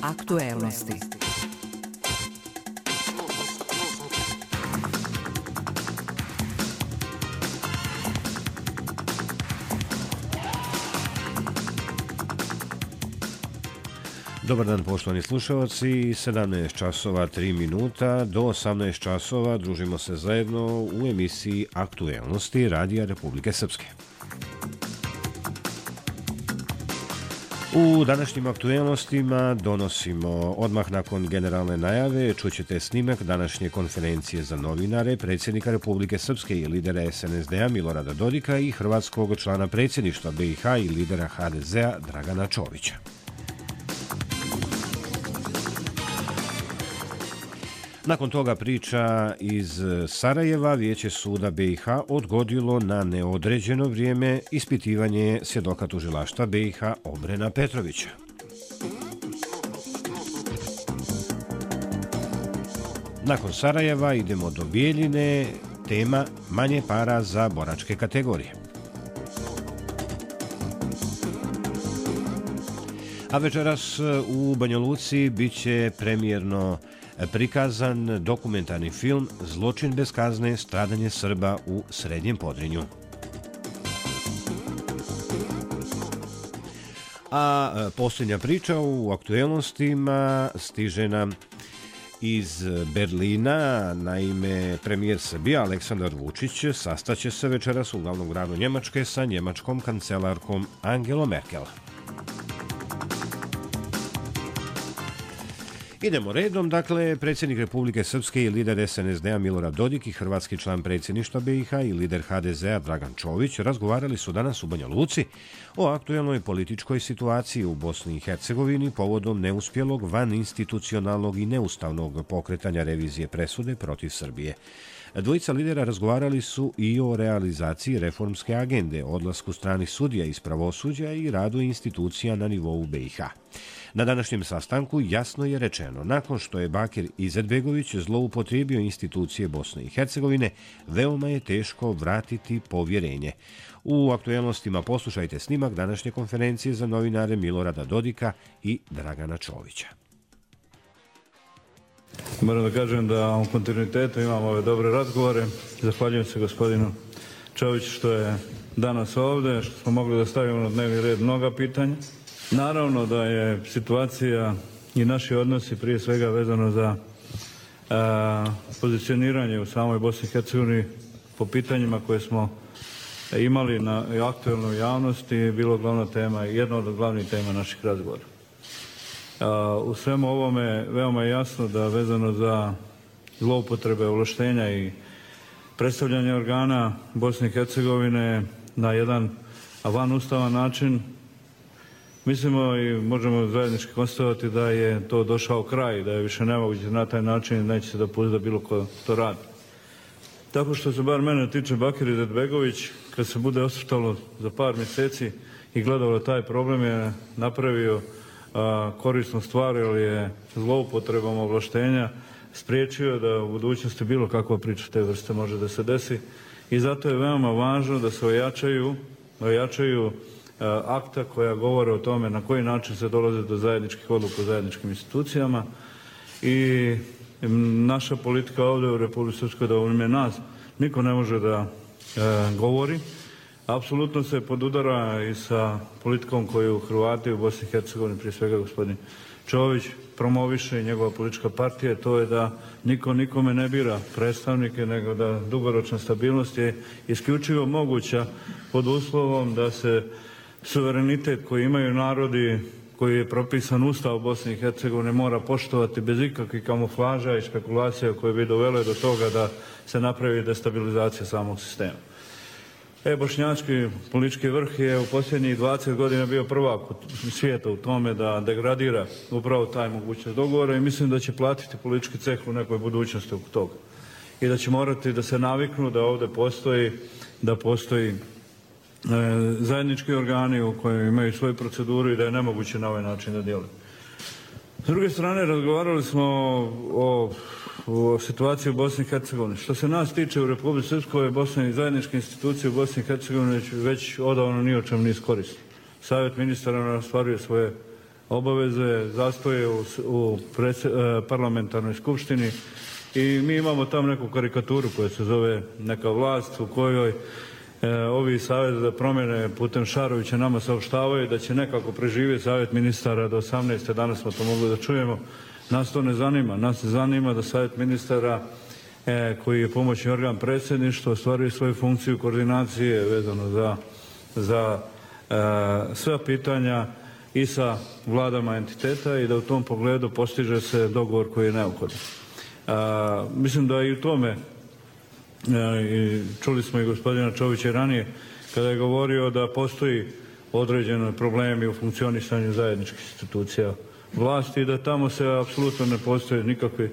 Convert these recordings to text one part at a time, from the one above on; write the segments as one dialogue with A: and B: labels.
A: Aktuelnosti.
B: Dobar dan, poštovani slušalci, 17 časova 3 minuta do 18 časova družimo se zajedno u emisiji Aktuelnosti Radija Republike Srpske. U današnjim aktuelnostima donosimo odmah nakon generalne najave, čućete snimak današnje konferencije za novinare predsjednika Republike Srpske i lidera SNSD-a Milorada Dodika i hrvatskog člana predsjedništva BiH i lidera HDZ-a Dragana Čovića. Nakon toga priča iz Sarajeva, Vijeće suda BiH odgodilo na neodređeno vrijeme ispitivanje svjedoka tužilaštva BiH Obrena Petrovića. Nakon Sarajeva idemo do Bijeljine, tema manje para za boračke kategorije. A večeras u Banja Luci biće premijerno prikazan dokumentarni film Zločin bez kazne, stradanje Srba u Srednjem Podrinju. A posljednja priča u aktuelnostima stiže nam iz Berlina. Naime, premijer Srbije Aleksandar Vučić sastaće se večeras u glavnom gradu Njemačke sa njemačkom kancelarkom Angelom Merkel. Idemo redom, dakle, predsjednik Republike Srpske i lider SNSD-a Milorad Dodik i hrvatski član predsjedništva BiH i lider HDZ-a Dragan Čović razgovarali su danas u Banja Luci o aktuelnoj političkoj situaciji u Bosni i Hercegovini povodom neuspjelog vaninstitucionalnog i neustavnog pokretanja revizije presude protiv Srbije. Dvojica lidera razgovarali su i o realizaciji reformske agende, odlasku stranih sudija iz pravosuđa i radu institucija na nivou BiH. Na današnjem sastanku jasno je rečeno, nakon što je Bakir Izetbegović zloupotrijebio institucije Bosne i Hercegovine, veoma je teško vratiti povjerenje. U aktuelnostima poslušajte snimak današnje konferencije za novinare Milorada Dodika i Dragana Čovića.
C: Moram da kažem da u kontinuitetu imamo ove dobre razgovore. Zahvaljujem se gospodinu Čoviću što je danas ovdje, što smo mogli da stavimo na dnevni red mnoga pitanja. Naravno da je situacija i naši odnosi prije svega vezano za pozicioniranje u samoj Bosni i Hercegovini po pitanjima koje smo imali na aktuelnoj javnosti, bilo glavna tema, jedna od glavnih tema naših razgovora. U svemu ovome veoma je jasno da vezano za zloupotrebe ovlaštenja i predstavljanje organa Bosne i Hercegovine na jedan vanustavan način, mislimo i možemo zajednički konstatovati da je to došao kraj, da je više nemoguće na taj način, neće se dopustiti da bilo ko to radi. Tako što se bar mene tiče, Bakir Izetbegović, kad se bude osvrtalo za par mjeseci i gledalo taj problem, je napravio korisnu stvar, jer je zloupotrebom ovlaštenja spriječio da u budućnosti bilo kakva priča te vrste može da se desi. I zato je veoma važno da se ojačaju akta koja govore o tome na koji način se dolazi do zajedničkih odluka u zajedničkim institucijama. I naša politika ovdje u Republike Srpskoj, da u ime nas niko ne može da govori. Apsolutno se podudara i sa politikom koju Hrvati u Bosni i Hercegovini, prije svega gospodin Čović, promoviše i njegova politička partija, to je da niko nikome ne bira predstavnike, nego da dugoročna stabilnost je isključivo moguća pod uslovom da se suverenitet koji imaju narodi, koji je propisan Ustav Bosne i Hercegovine, mora poštovati bez ikakvih kamuflaža i spekulacija koje bi dovele do toga da se napravi destabilizacija samog sistema. Bošnjački politički vrh je u posljednjih 20 godina bio prvak svijeta u tome da degradira upravo taj mogućnost dogovora i mislim da će platiti politički ceh u nekoj budućnosti oko toga. I da će morati da se naviknu da ovdje postoji zajednički organi u kojima imaju svoju proceduru i da je nemoguće na ovaj način da djeluju. S druge strane, razgovarali smo o situaciji u Bosni i Hercegovini. Što se nas tiče u Republici Srpskoj, Bosne i zajedničke institucije u Bosni i Hercegovini već odavno ni o čem ne iskoristili. Savjet ministara ostvaruje svoje obaveze, zastoje u parlamentarnoj skupštini i mi imamo tamo neku karikaturu koja se zove neka vlast u kojoj ovi savjeti za promjene putem Šarovića nama saopštavaju da će nekako preživjeti savjet ministara do 18. Danas smo to mogli da čujemo. Nas to ne zanima. Nas se zanima da savjet ministara koji je pomoćni organ predsjedništva ostvaruje svoju funkciju koordinacije vezano za sva pitanja i sa vladama entiteta i da u tom pogledu postiže se dogovor koji je neophodan. Mislim da i u tome, čuli smo i gospodina Čovića ranije, kada je govorio da postoji određeni problemi u funkcionisanju zajedničkih institucija vlasti i da tamo se apsolutno ne postoje nikakvi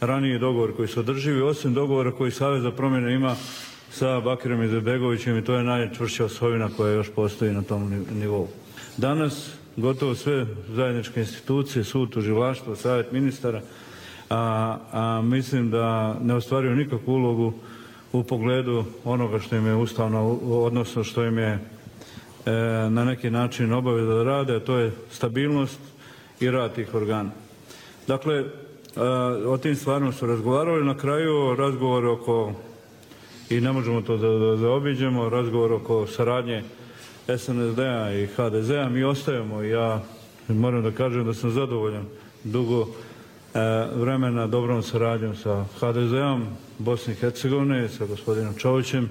C: raniji dogovor koji su održivi, osim dogovora koji Savez za promjene ima sa Bakirom Izetbegovićem i to je najčvršća osovina koja još postoji na tom nivou. Danas gotovo sve zajedničke institucije, sud, tužilaštvo, savjet ministara, mislim da ne ostvaruju nikakvu ulogu u pogledu onoga što im je ustavno, odnosno što im je na neki način obaveza da rade, a to je stabilnost i rad tih organa. Dakle, o tim stvarima su razgovarali. Na kraju razgovor oko, i ne možemo to da zaobiđemo, razgovor oko saradnje SNSD-a i HDZ-a. Mi ostajemo i ja moram da kažem da sam zadovoljan dugo vremena dobrom saradnjom sa HDZ-om Bosne i Hercegovine, sa gospodinom Čovićem.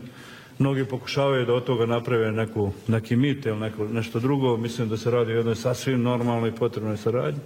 C: Mnogi pokušavaju da od toga naprave neki mit ili nešto drugo. Mislim da se radi o jednoj sasvim normalnoj i potrebnoj saradnji.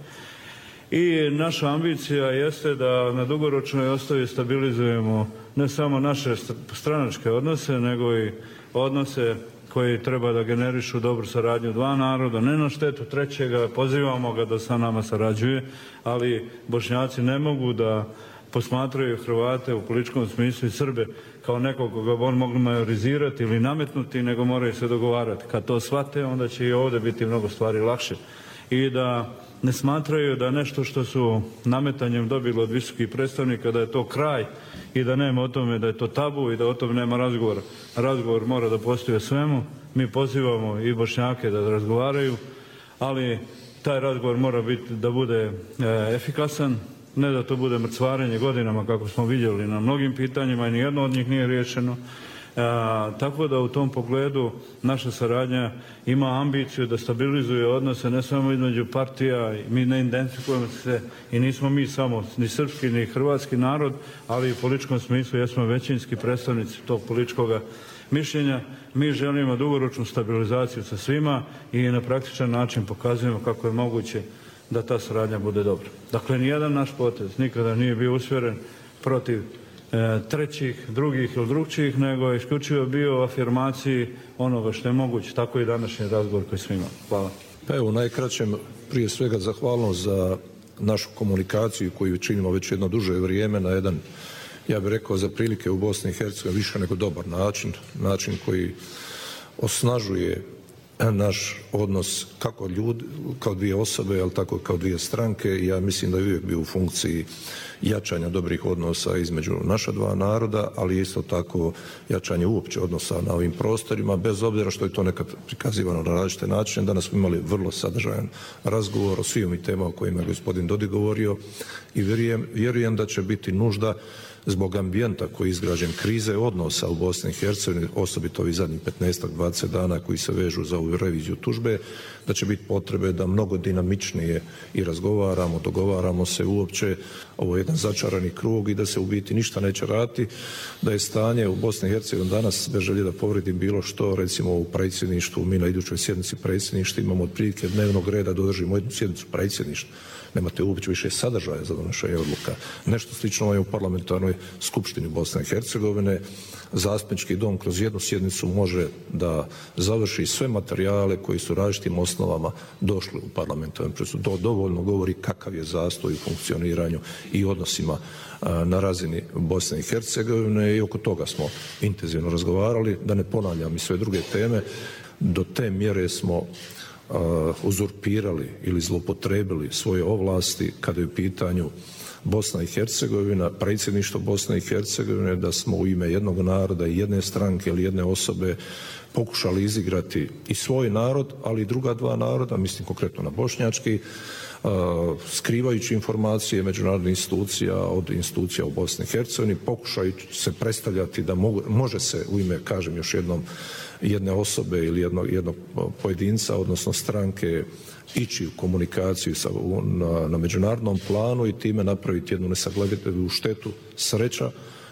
C: I naša ambicija jeste da na dugoročnoj osnovi stabilizujemo ne samo naše stranačke odnose, nego i odnose koji treba da generišu dobru saradnju dva naroda, ne na štetu trećega, pozivamo ga da sa nama sarađuje, ali Bošnjaci ne mogu da posmatraju Hrvate u političkom smislu i Srbe kao nekog koga on mogu majorizirati ili nametnuti, nego moraju se dogovarati. Kad to shvate, onda će i ovdje biti mnogo stvari lakše. I da ne smatraju da nešto što su nametanjem dobili od visokih predstavnika, da je to kraj i da nema o tome, da je to tabu i da o tome nema razgovora. Razgovor mora da postoji o svemu. Mi pozivamo i Bošnjake da razgovaraju, ali taj razgovor mora biti da bude efikasan, ne da to bude mrcvarenje godinama kako smo vidjeli na mnogim pitanjima i nijedno od njih nije riješeno. Tako da u tom pogledu naša saradnja ima ambiciju da stabilizuje odnose ne samo između partija, mi ne identifikujemo se i nismo mi samo ni srpski ni hrvatski narod, ali u političkom smislu jesmo većinski predstavnici tog političkog mišljenja. Mi želimo dugoročnu stabilizaciju sa svima i na praktičan način pokazujemo kako je moguće da ta saradnja bude dobra. Dakle, nijedan naš potez nikada nije bio usmjeren protiv trećih, drugih ili drugčijih, nego je isključivo bio u afirmaciji onoga što je moguće. Tako i današnji razgovor koji smo imali. Hvala.
A: Pa evo, najkraćem, prije svega zahvalnost za našu komunikaciju koju činimo već jedno duže vrijeme na jedan, ja bih rekao, za prilike u Bosni i Hercegovini više nego dobar način koji osnažuje naš odnos kako ljudi, kao dvije osobe, ali tako kao dvije stranke. Ja mislim da je uvijek bio u funkciji jačanja dobrih odnosa između naša dva naroda, ali isto tako jačanje uopće odnosa na ovim prostorima, bez obzira što je to nekad prikazivano na različite načine. Danas smo imali vrlo sadržajan razgovor o svim i temama o kojima je gospodin Dodik govorio i vjerujem da će biti nužda zbog ambijenta koji je izgrađen, krize odnosa u Bosni i Hercegovini, osobito ovih zadnjih 15-20 dana koji se vežu za ovu reviziju tužbe, da će biti potrebe da mnogo dinamičnije i razgovaramo, dogovaramo se uopće. Ovo je jedan začarani krug i da se u biti ništa neće raditi, da je stanje u Bosni i Hercegovini danas, bez želje da povredim bilo što, recimo u predsjedništvu, mi na idućoj sjednici predsjedništva imamo otprilike dnevnog reda da održimo jednu sjednicu predsjedništva. Nemate uopće više sadržaja za donošenje odluka. Nešto slično je u parlamentarnoj skupštini Bosne i Hercegovine. Zastupnički dom kroz jednu sjednicu može da završi sve materijale koji su različitim osnovama došli u parlamentarnu presudu. To dovoljno govori kakav je zastoj u funkcioniranju i odnosima na razini Bosne i Hercegovine i oko toga smo intenzivno razgovarali. Da ne ponavljam i sve druge teme, do te mjere smo uzurpirali ili zlopotrebili svoje ovlasti kada je u pitanju Bosna i Hercegovina, predsjedništvo Bosne i Hercegovine, da smo u ime jednog naroda i jedne stranke ili jedne osobe pokušali izigrati i svoj narod, ali i druga dva naroda, mislim konkretno na bošnjački, skrivajući informacije međunarodnih institucija od institucija u Bosni i Hercegovini, pokušajući se predstavljati da može se u ime, kažem još jednom, jedne osobe ili jednog pojedinca, odnosno stranke, ići u komunikaciju na međunarodnom planu i time napraviti jednu nesagledivu štetu. Sreća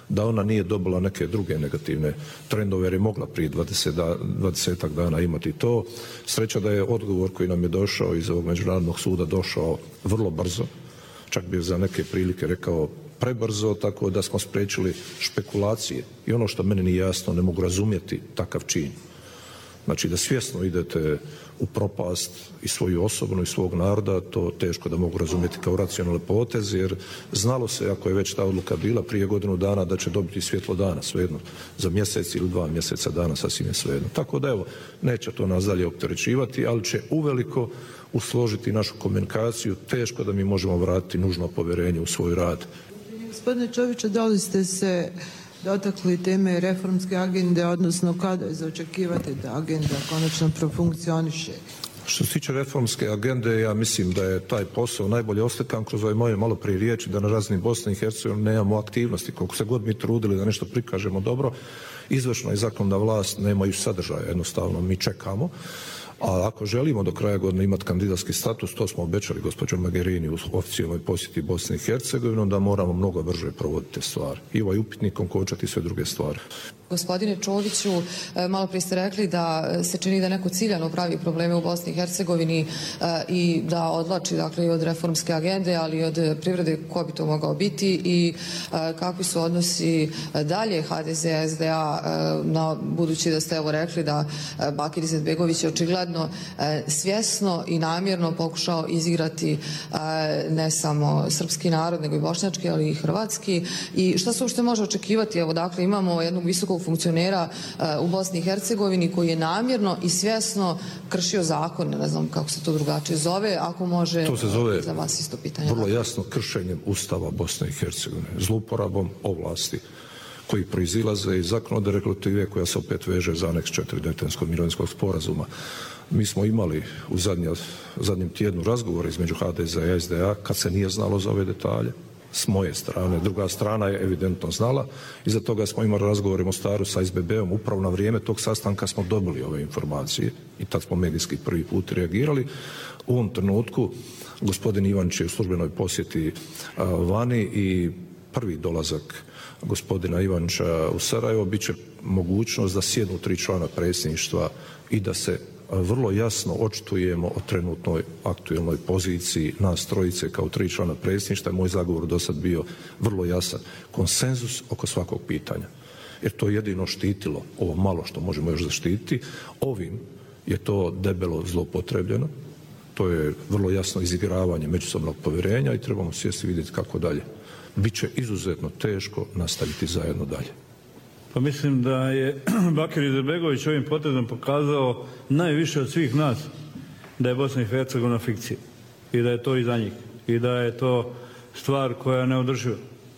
A: da ona nije dobila neke druge negativne trendove jer je mogla prije 20 dana imati to. Sreća da je odgovor koji nam je došao iz ovog međunarodnog suda došao vrlo brzo, čak bih za neke prilike rekao prebrzo, tako da smo spriječili špekulacije. I ono što meni nije jasno, ne mogu razumjeti takav čin. Znači da svjesno idete u propast i svoju osobnu i svog naroda, to teško da mogu razumjeti kao racionalne poteze, jer znalo se, ako je već ta odluka bila prije godinu dana, da će dobiti svjetlo dana, svejedno, za mjesec ili 2 mjeseca dana, sasvim je svejedno. Tako da evo, neće to nas dalje opterećivati, ali će uveliko usložiti našu komunikaciju, teško da mi možemo vratiti nužno povjerenje u svoj rad.
D: Gospodine Čoviću, da li ste se dotakli teme reformske agende, odnosno kada je za očekivati da agenda konačno profunkcioniše?
A: Što se tiče reformske agende, ja mislim da je taj posao najbolje oslikan kroz ove moje malo prije riječi, da na razini Bosne i Hercegovine nemamo aktivnosti. Koliko se god mi trudili da nešto prikažemo dobro, izvršna i zakonodavna vlast nemaju sadržaja, jednostavno mi čekamo. A ako želimo do kraja godine imati kandidatski status, to smo obećali gospođo Mogherini u oficijalnoj posjeti Bosne i Hercegovine, onda moramo mnogo brže provoditi stvari. I ovaj upitnik konkočati sve druge stvari.
E: Gospodine Čoviću, malo prije ste rekli da se čini da neko ciljano pravi probleme u Bosni i Hercegovini i da odlači dakle, i od reformske agende, ali i od privrede, ko bi to mogao biti i kakvi su odnosi dalje HDZ-SDA, budući da ste evo rekli da Bakir Izetbegović je očigledno svjesno i namjerno pokušao izigrati ne samo srpski narod, nego i bošnjački, ali i hrvatski. I šta se uopšte može očekivati? Evo, dakle, imamo jednog visokog funkcionera u Bosni i Hercegovini koji je namjerno i svjesno kršio zakon, ne znam kako se to drugačije zove, ako može,
A: to se zove
E: za vas isto pitanje.
A: Vrlo jasno kršenjem Ustava Bosne i Hercegovine, zlouporabom ovlasti koji proizilaze iz zakonodavne regulative koja se opet veže za aneks 4 Daytonskog mirovinskog sporazuma. Mi smo imali u zadnjem tjednu razgovore između HDZ-a i SDA kad se nije znalo za ove detalje. S moje strane, druga strana je evidentno znala. Iza toga smo imali razgovor u Mostaru sa SBB-om. Upravo na vrijeme tog sastanka smo dobili ove informacije i tad smo medijski prvi put reagirali. U ovom trenutku gospodin Ivančić je u službenoj posjeti vani i prvi dolazak gospodina Ivančića u Sarajevo bit će mogućnost da sjednu 3 člana predsjedništva i da se vrlo jasno očitujemo o trenutnoj aktualnoj poziciji nas trojice kao 3 člana predsjedništva. Moj zagovor do sad bio vrlo jasan. Konsenzus oko svakog pitanja. Jer to je jedino štitilo ovo malo što možemo još zaštititi. Ovim je to debelo zloupotrebljeno. To je vrlo jasno izigravanje međusobnog povjerenja i trebamo sjesti vidjeti kako dalje. Biće izuzetno teško nastaviti zajedno dalje.
C: Pa mislim da je Bakir Izetbegović ovim potezom pokazao najviše od svih nas da je Bosna i Hercegovina fikcija i da je to iza njih i da je to stvar koja je neodrživa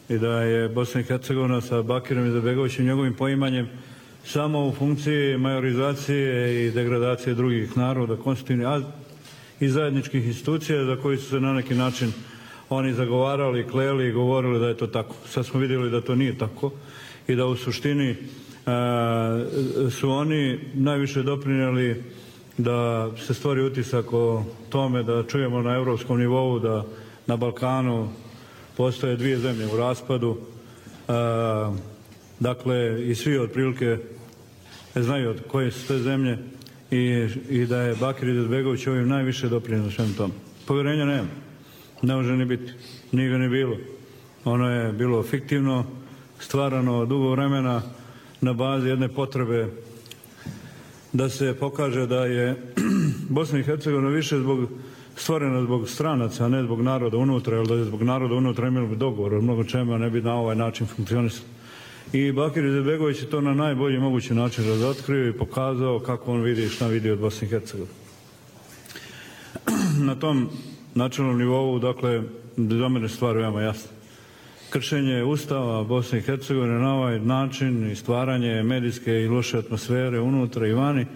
C: i da je Bosna i Hercegovina sa Bakirom Izetbegovićem i njegovim poimanjem samo u funkciji majorizacije i degradacije drugih naroda, konstitutivnih i zajedničkih institucija za koji su se na neki način oni zagovarali, kleli i govorili da je to tako. Sad smo vidjeli da to nije tako i da u suštini su oni najviše doprinijeli da se stvori utisak o tome da čujemo na europskom nivou da na Balkanu postoje 2 zemlje u raspadu. Dakle, i svi otprilike znaju od koje su te zemlje i da je Bakir Izetbegović ovim najviše doprinio svem tom. Povjerenja nema. Ne može ni biti. Nije ga ni bilo. Ono je bilo fiktivno, stvarano dugo vremena na bazi jedne potrebe da se pokaže da je Bosna i Hercegovina više stvorena zbog stranaca, a ne zbog naroda unutra, jer da je zbog naroda unutra imali bi dogovor o mnogo čemu, ne bi na ovaj način funkcionisalo. I Bakir Izetbegović je to na najbolji mogući način razotkrio i pokazao kako on vidi i šta vidi od Bosne i Hercegovine. Na tom načelnom nivou, dakle, za mene stvar veoma jasna. kršenje Ustava Bosne i Hercegovine na ovaj način i stvaranje medijske i loše atmosfere unutra i vani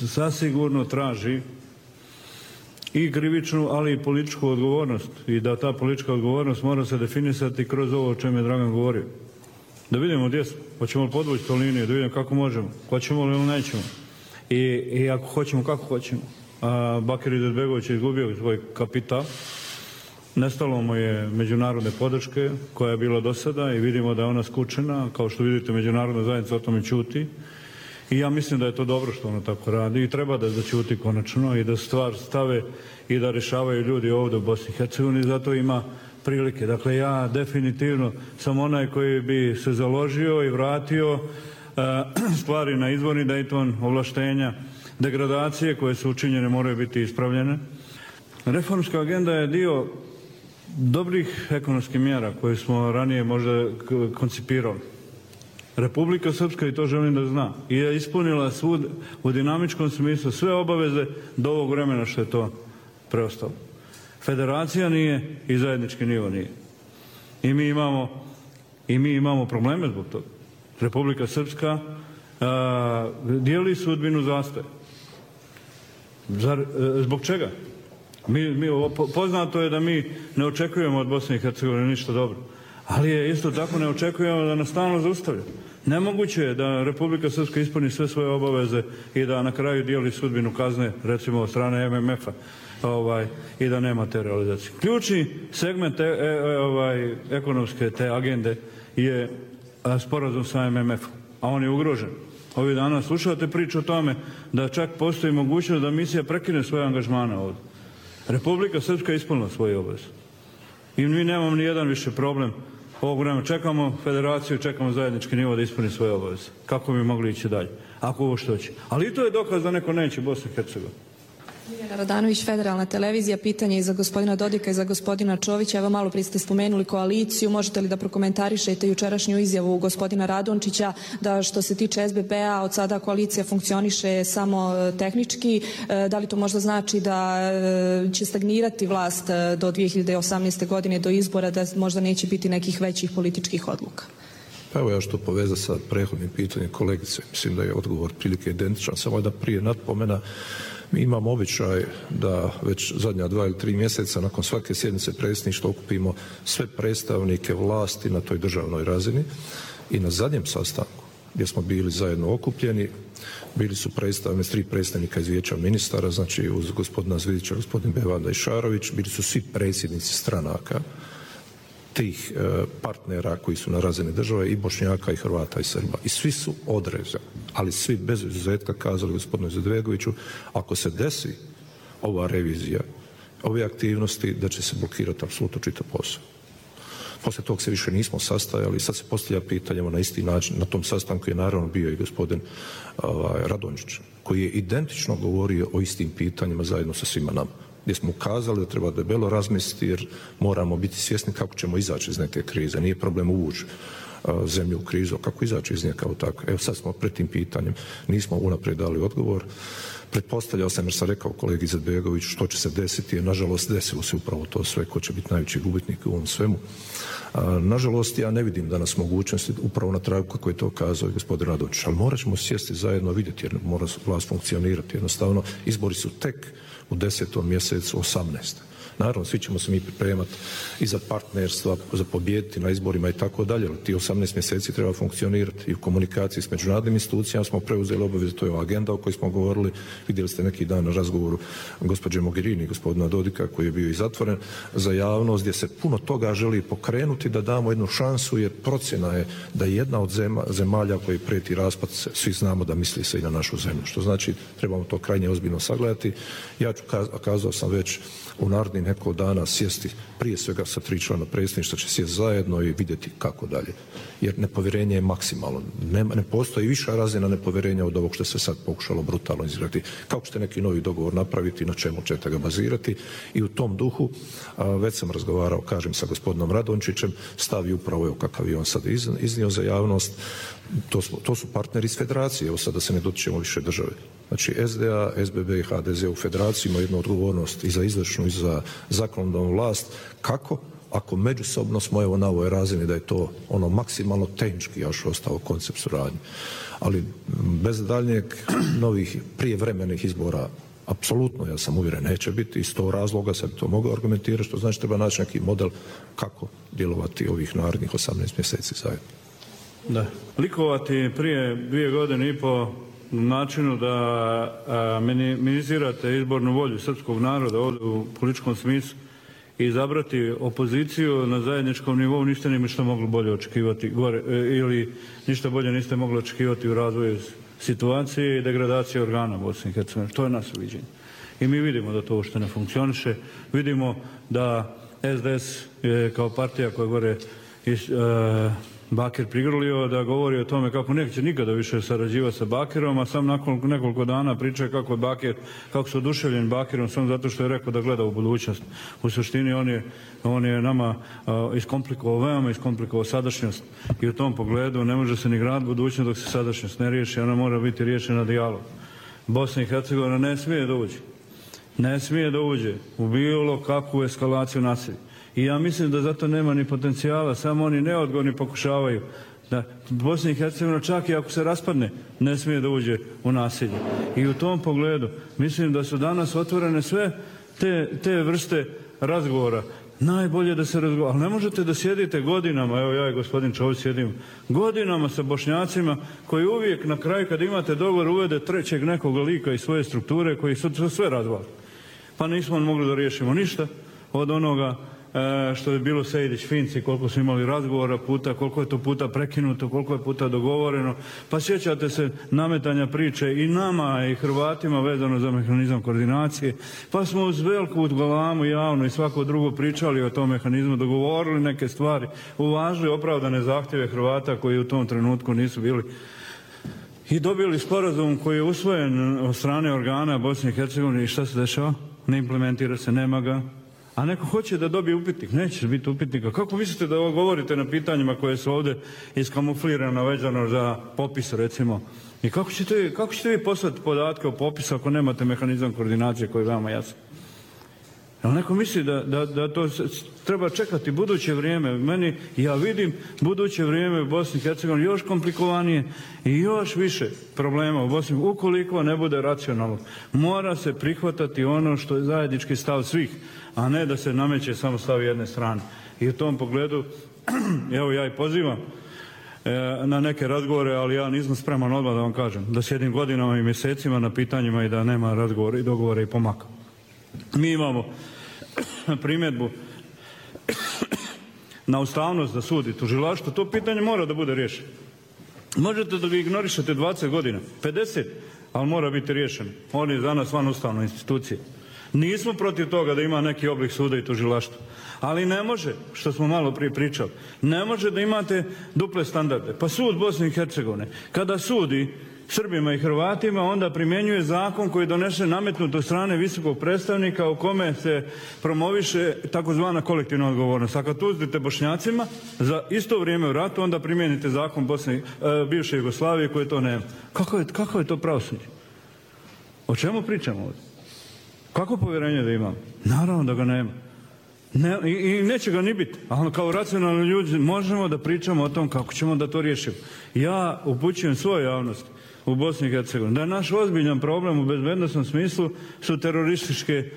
C: sasigurno traži i krivičnu, ali i političku odgovornost i da ta politička odgovornost mora se definisati kroz ovo o čemu je Dragan govorio. Da vidimo gdje smo, hoćemo li podvući to liniju, da vidimo kako možemo, hoćemo li ili nećemo i ako hoćemo, kako hoćemo. Bakir Izetbegović je izgubio svoj kapital, nestalo mu je međunarodne podrške koja je bila do sada i vidimo da je ona skučena, kao što vidite međunarodna zajednica o tome ćuti. I ja mislim da je to dobro što ono tako radi i treba da ćuti konačno i da stvar stave i da rješavaju ljudi ovdje u Bosni i Hercegovini, zato ima prilike. Dakle, ja definitivno sam onaj koji bi se založio i vratio stvari na izvorni Dayton, ovlaštenja, degradacije koje su učinjene moraju biti ispravljene. Reformska agenda je dio dobrih ekonomskih mjera koje smo ranije možda koncipirali. Republika Srpska, i to želim da zna, je ispunila svud u dinamičkom smislu sve obaveze do ovog vremena što je to preostalo. Federacija nije i zajednički nivo nije. I mi imamo probleme zbog toga. Republika Srpska dijeli sudbinu zastoja. Zbog čega? Poznato je da mi ne očekujemo od Bosne i Hercegovine ništa dobro. Ali je isto tako ne očekujemo da nas stalno zaustavlja. Nemoguće je da Republika Srpska ispuni sve svoje obaveze i da na kraju dijeli sudbinu kazne, recimo od strane MMF-a, i da nema te realizacije. Ključni segment ekonomske te agende je sporazum sa MMF-om, a on je ugrožen. Ovih dana slušate priču o tome da čak postoji mogućnost da misija prekine svoje angažmane ovdje. Republika Srpska je ispunila svoje obaveze. I mi nemamo ni jedan više problem ovog vremena. Čekamo federaciju, čekamo zajednički nivo da ispuni svoje obaveze. Kako bi mogli ići dalje? Ako ovo što će. Ali i to je dokaz da neko neće Bosnu i Hercegovinu.
F: Ljiljana Radanović, Federalna televizija, pitanje i za gospodina Dodika i za gospodina Čovića. Evo malo prije ste spomenuli koaliciju, možete li da prokomentarišete jučerašnju izjavu gospodina Radončića da što se tiče SBB-a od sada koalicija funkcioniše samo tehnički, da li to možda znači da će stagnirati vlast do 2018. godine, do izbora, da možda neće biti nekih većih političkih odluka?
A: Pa evo ja što poveza sa prethodnim pitanjem kolegice, mislim da je odgovor prilike identičan, samo da prije napomena. Mi imamo običaj da već zadnja 2 ili 3 mjeseca nakon svake sjednice predsjedništva okupimo sve predstavnike vlasti na toj državnoj razini i na zadnjem sastanku gdje smo bili zajedno okupljeni bili su predstavnici, 3 predstavnika iz Vijeća ministara, znači uz gospodina Zvidića, gospodin Bevanda i Šarović, bili su svi predsjednici stranaka tih partnera koji su na razini države i Bošnjaka i Hrvata i Srba. I svi su odrezani, ali svi bez izuzetka kazali gospodinu Izetbegoviću, ako se desi ova revizija, ove aktivnosti, da će se blokirati apsolutno čitav posao. Poslije tog se više nismo sastajali, sad se postavlja pitanje na isti način. Na tom sastanku je naravno bio i gospodin Radončić, koji je identično govorio o istim pitanjima zajedno sa svima nama, gdje smo ukazali da treba debelo razmisliti jer moramo biti svjesni kako ćemo izaći iz neke krize. Nije problem uvući zemlju u krizu, kako izaći iz nje kao tako. Evo sad smo pred tim pitanjem, nismo unaprijed dali odgovor. Pretpostavljao sam, jer sam rekao kolegi Izetbegoviću što će se desiti, jer nažalost desilo se upravo to sve, ko će biti najveći gubitnik u ovom svemu. Nažalost, ja ne vidim danas mogućnosti, upravo na tragu kako je to kazao i gospodin Radončić, ali morat ćemo sjesti zajedno vidjeti jer mora vlast funkcionirati. Jednostavno, izbori su tek u 10. mjesecu 18. Naravno, svi ćemo se mi pripremati i za partnerstva, za pobijediti na izborima i tako dalje, ali ti 18 mjeseci treba funkcionirati i u komunikaciji s međunarodnim institucijama smo preuzeli obavezu, to je agenda o kojoj smo govorili, vidjeli ste neki dan na razgovoru gospođe Mogherini i gospodina Dodika koji je bio i zatvoren za javnost, gdje se puno toga želi pokrenuti da damo jednu šansu, jer procjena je da je jedna od zemalja koji prijeti raspad, svi znamo da misli se i na našu zemlju, što znači trebamo to krajnje ozbiljno sagledati. Ja ću, kazao sam već, u narednih neko dana sjesti prije svega sa 3 člana predsjedništva, će sjesti zajedno i vidjeti kako dalje. Jer nepovjerenje je maksimalno. Ne postoji viša razina nepovjerenja od ovog što se sad pokušalo brutalno izgraditi. Kako ćete neki novi dogovor napraviti, na čemu ćete ga bazirati? I u tom duhu već sam razgovarao, kažem, sa gospodinom Radončićem, stavi upravo evo kakav je on sad iznio za javnost. To su partneri iz federacije, evo sad da se ne dotičemo više države. Znači SDA, SBB i HDZ u federaciji imaju jednu odgovornost i za izvršnu i za zakonodavnu vlast. Kako ako međusobno smo evo na ovoj razini da je to ono maksimalno tehnički još ostao koncept suradnje. Ali bez daljnjeg novih prijevremenih izbora apsolutno, ja sam uvjeren, neće biti. Iz tog razloga sam to mogao argumentirati, što znači treba naći neki model kako djelovati ovih narednih 18 mjeseci zajedno.
C: Da. Likovati prije 2 godine i po načinu da minimizirate izbornu volju srpskog naroda ovdje u političkom smislu i izabrati opoziciju na zajedničkom nivou, ništa niste mogli bolje očekivati gore, ili ništa bolje niste mogli očekivati u razvoju situacije i degradacije organa Bosne i Hercegovine. To je nas uviđenje. I mi vidimo da to uopšte ne funkcioniše. Vidimo da SDS je kao partija koja gore Bakir prigrlio, da govori o tome kako neće nikada više sarađivati sa Bakirom, a sam nakon nekoliko dana priča kako su oduševljeni Bakirom samo zato što je rekao da gleda u budućnost. U suštini on je nama iskomplikovao, veoma iskomplikovao sadašnjost i u tom pogledu ne može se ni graditi budućnost dok se sadašnjost ne riješi, ona mora biti riješena dijalog. Bosna i Hercegovina ne smije da uđe u bilo kakvu eskalaciju nasilja. I ja mislim da zato nema ni potencijala, samo oni neodgovorni pokušavaju da Bosna i Hercegovina čak i ako se raspadne ne smije da uđe u nasilje. I u tom pogledu mislim da su danas otvorene sve te vrste razgovora. Najbolje da se razgovara, ali ne možete da sjedite godinama, evo ja i gospodin Čović sjedim godinama sa Bošnjacima koji uvijek na kraju kad imate dogovor uvede trećeg nekog lika iz svoje strukture koji su sve razvali. Pa nismo mogli da riješimo ništa od onoga što je bilo Sejdić-Finci, koliko su imali razgovora puta, koliko je to puta prekinuto, koliko je puta dogovoreno. Pa sjećate se nametanja priče i nama i Hrvatima vezano za mehanizam koordinacije. Pa smo uz veliku galamu javno i svako drugo pričali o tom mehanizmu, dogovorili neke stvari, uvažili opravdane zahtjeve Hrvata koji u tom trenutku nisu bili i dobili sporazum koji je usvojen od strane organa Bosne i Hercegovine i šta se dešava? Ne implementira se, nema ga. A neko hoće da dobije upitnik, neće biti upitnika. Kako mislite da govorite na pitanjima koje su ovdje iskamuflirana vezano za popis, recimo? I kako ćete vi poslati podatke o popisu ako nemate mehanizam koordinacije koji je veoma jasan? Ali neko misli da to treba čekati buduće vrijeme. Ja vidim buduće vrijeme u Bosni i Hercegovini još komplikovanije i još više problema u Bosni. Ukoliko ne bude racionalno, mora se prihvatati ono što je zajednički stav svih, a ne da se nameće samo stav jedne strane. I u tom pogledu, evo ja i pozivam na neke razgovore, ali ja nisam spreman odmah da vam kažem, da sjedim godinama i mjesecima na pitanjima i da nema razgovora i dogovora i pomaka. Mi imamo primjedbu na ustavnost da sudi tužilaštvo, to pitanje mora da bude riješeno. Možete da ga ignorišete 20 godina, 50, ali mora biti riješeno. On je za nas van ustavne institucije. Nismo protiv toga da ima neki oblik suda i tužilaštva, ali ne može, što smo malo prije pričali, ne može da imate duple standarde. Pa sud Bosne i Hercegovine, kada sudi Srbima i Hrvatima, onda primjenjuje zakon koji donese nametnut od strane visokog predstavnika u kome se promoviše takozvana kolektivna odgovornost. A kad uzmete Bošnjacima za isto vrijeme u ratu, onda primijenite zakon bivše Jugoslavije koje to nema. Kako je to pravosuđe? O čemu pričamo ovdje? Kako povjerenje da imamo? Naravno da ga nema. I neće ga ni biti, ali kao racionalni ljudi možemo da pričamo o tom kako ćemo da to riješimo. Ja upućujem svoju javnost u Bosni i Hercegovini da je naš ozbiljan problem u bezbednosnom smislu su terorističke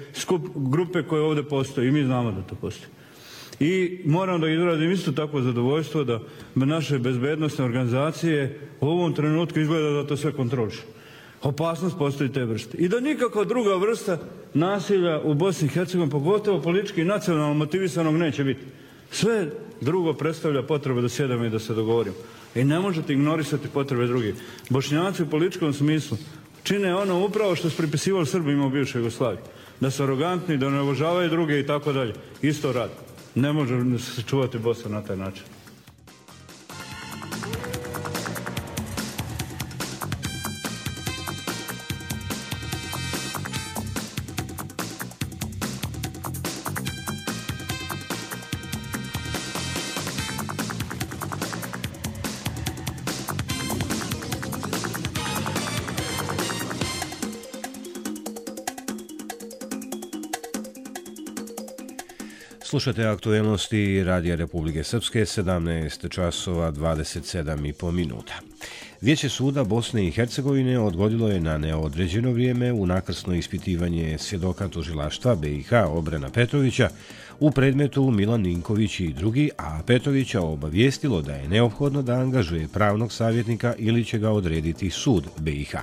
C: grupe koje ovdje postoje i mi znamo da to postoji. I moram da izrazim isto tako zadovoljstvo da naše bezbednosne organizacije u ovom trenutku izgleda da to sve kontroliše. Opasnost postoji te vrste. I da nikakva druga vrsta nasilja u Bosni i Hercegovini, pogotovo politički i nacionalno motivisanog, neće biti. Sve drugo predstavlja potrebu da sjedamo i da se dogovorimo. I ne možete ignorisati potrebe drugih. Bošnjaci u političkom smislu čine ono upravo što su pripisivali Srbima u bivšoj Jugoslaviji. Da su arogantni, da ne uvažavaju druge i tako dalje. Isto radi. Ne može se čuvati Bosna na taj način.
B: Slušate aktuelnosti Radija Republike Srpske, 17 časova 27,5 minuta. Vijeće suda Bosne i Hercegovine odgodilo je na neodređeno vrijeme unakrsno ispitivanje svjedoka tužilaštva BiH Obrena Petrovića u predmetu Milan Ninković i drugi, a Petrovića obavijestilo da je neophodno da angažuje pravnog savjetnika ili će ga odrediti sud BiH.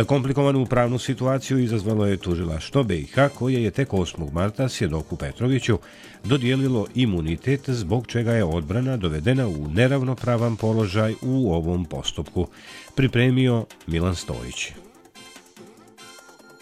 B: Komplikovanu pravnu situaciju izazvalo je tužilaštvo BiH koje je tek 8. marta svjedoku Petroviću dodijelilo imunitet zbog čega je odbrana dovedena u neravnopravan položaj u ovom postupku, pripremio Milan Stojić.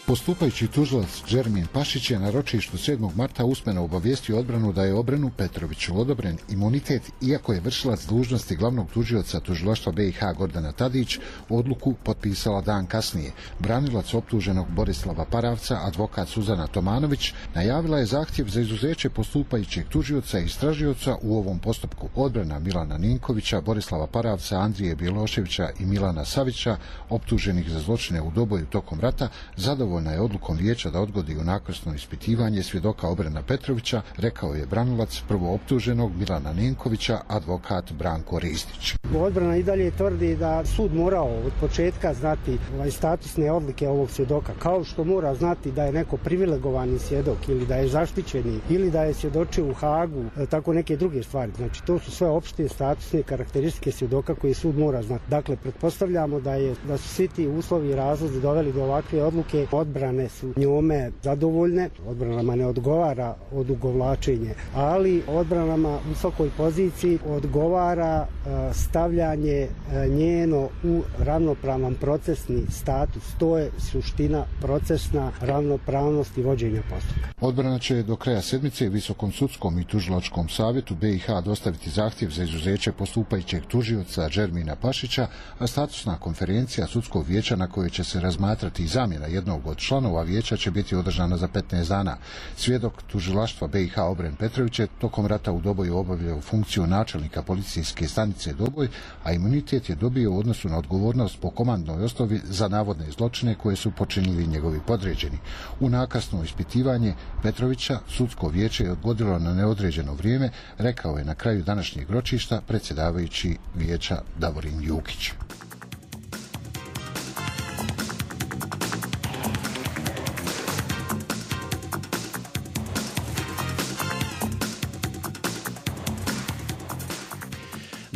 G: Postupajući tužilac Džermin Pašić je na ročištu 7. marta usmeno obavijestio odbranu da je Obrenu Petroviću odobren imunitet, iako je vršilac dužnosti glavnog tužioca tužilaštva BiH Gordana Tadić odluku potpisala dan kasnije. Branilac optuženog Borislava Paravca, advokat Suzana Tomanović, najavila je zahtjev za izuzeće postupajućeg tužioca i istražioca u ovom postupku. Odbrana Milana Ninkovića, Borislava Paravca, Andrije Bjeloševića i Milana Savića, optuženih za zločine u Doboju tokom rata, zadovoljna je odlukom vijeća da odgodi unakrsno ispitivanje svjedoka Obrena Petrovića, rekao je branilac prvo optuženog Milana Ninkovića, advokat Branko Ristić.
H: Odbrana i dalje tvrdi da sud morao od početka znati statusne odlike ovog svjedoka, kao što mora znati da je neko privilegovani svjedok ili da je zaštićeni ili da je svjedočio u Hagu, tako neke druge stvari. Znači, to su sve opšte statusne karakteristike svjedoka koje sud mora znati. Dakle, pretpostavljamo da su svi ti uslovi i razlozi doveli do ovakve odluke. Odbrane su njome zadovoljne, odbranama ne odgovara odugovlačenje, ali odbranama u svakoj poziciji odgovara stavljanje njeno u ravnopravan procesni status. To je suština procesna ravnopravnosti vođenja postupka.
G: Odbrana će do kraja sedmice Visokom sudskom i tužilačkom savjetu BiH dostaviti zahtjev za izuzeće postupajućeg tužioca Džermina Pašića, a statusna konferencija sudskog vijeća na kojoj će se razmatrati i zamjena jednog od članova vijeća će biti održana za 15 dana. Svjedok tužilaštva BiH Obren Petrović je tokom rata u Doboju obavljao funkciju načelnika policijske stanice Doboj, a imunitet je dobio u odnosu na odgovornost po komandnoj osnovi za navodne zločine koje su počinili njegovi podređeni. Unakrsno ispitivanje Petrovića sudsko vijeće je odgodilo na neodređeno vrijeme, rekao je na kraju današnjeg ročišta predsjedavajući vijeća Davorin Jukić.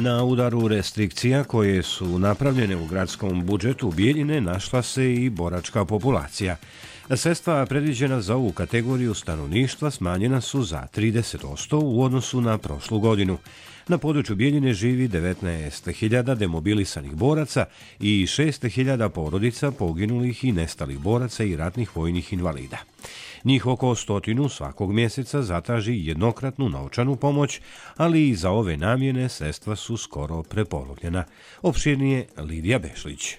B: Na udaru restrikcija koje su napravljene u gradskom budžetu Bijeljine našla se i boračka populacija. Sredstva predviđena za ovu kategoriju stanovništva smanjena su za 30% u odnosu na prošlu godinu. Na području Bijeljine živi 19.000 demobilisanih boraca i 6.000 porodica poginulih i nestalih boraca i ratnih vojnih invalida. Njih oko 100 svakog mjeseca zatraži jednokratnu novčanu pomoć, ali i za ove namjene sredstva su skoro prepolovljena. Opširnije Lidija Bešlić.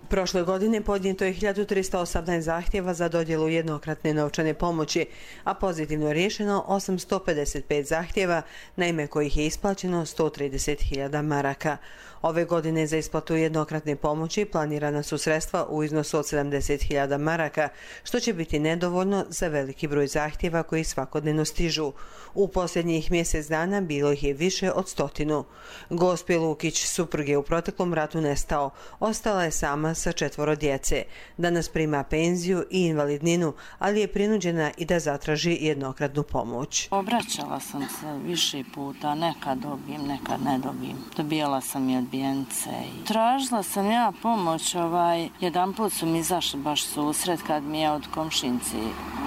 I: Prošle godine podnijeto je 1318 zahtjeva za dodjelu jednokratne novčane pomoći, a pozitivno je riješeno 855 zahtjeva, na ime kojih je isplaćeno 130.000 maraka. Ove godine za isplatu jednokratne pomoći planirana su sredstva u iznosu od 70.000 maraka, što će biti nedovoljno za veliki broj zahtjeva koji svakodnevno stižu. U posljednjih mjesec dana bilo ih je više od 100. Gospe Lukić, suprug je u proteklom ratu nestao. Ostala je sama sa 4 djece. Danas prima penziju i invalidninu, ali je prinuđena i da zatraži jednokratnu pomoć.
J: Obraćala sam se više puta, nekad dobijem, nekad ne dobijem. Dobijala sam i odbijence. Tražila sam ja pomoć, jedan put su mi izašli baš susret kad mi je od komšinci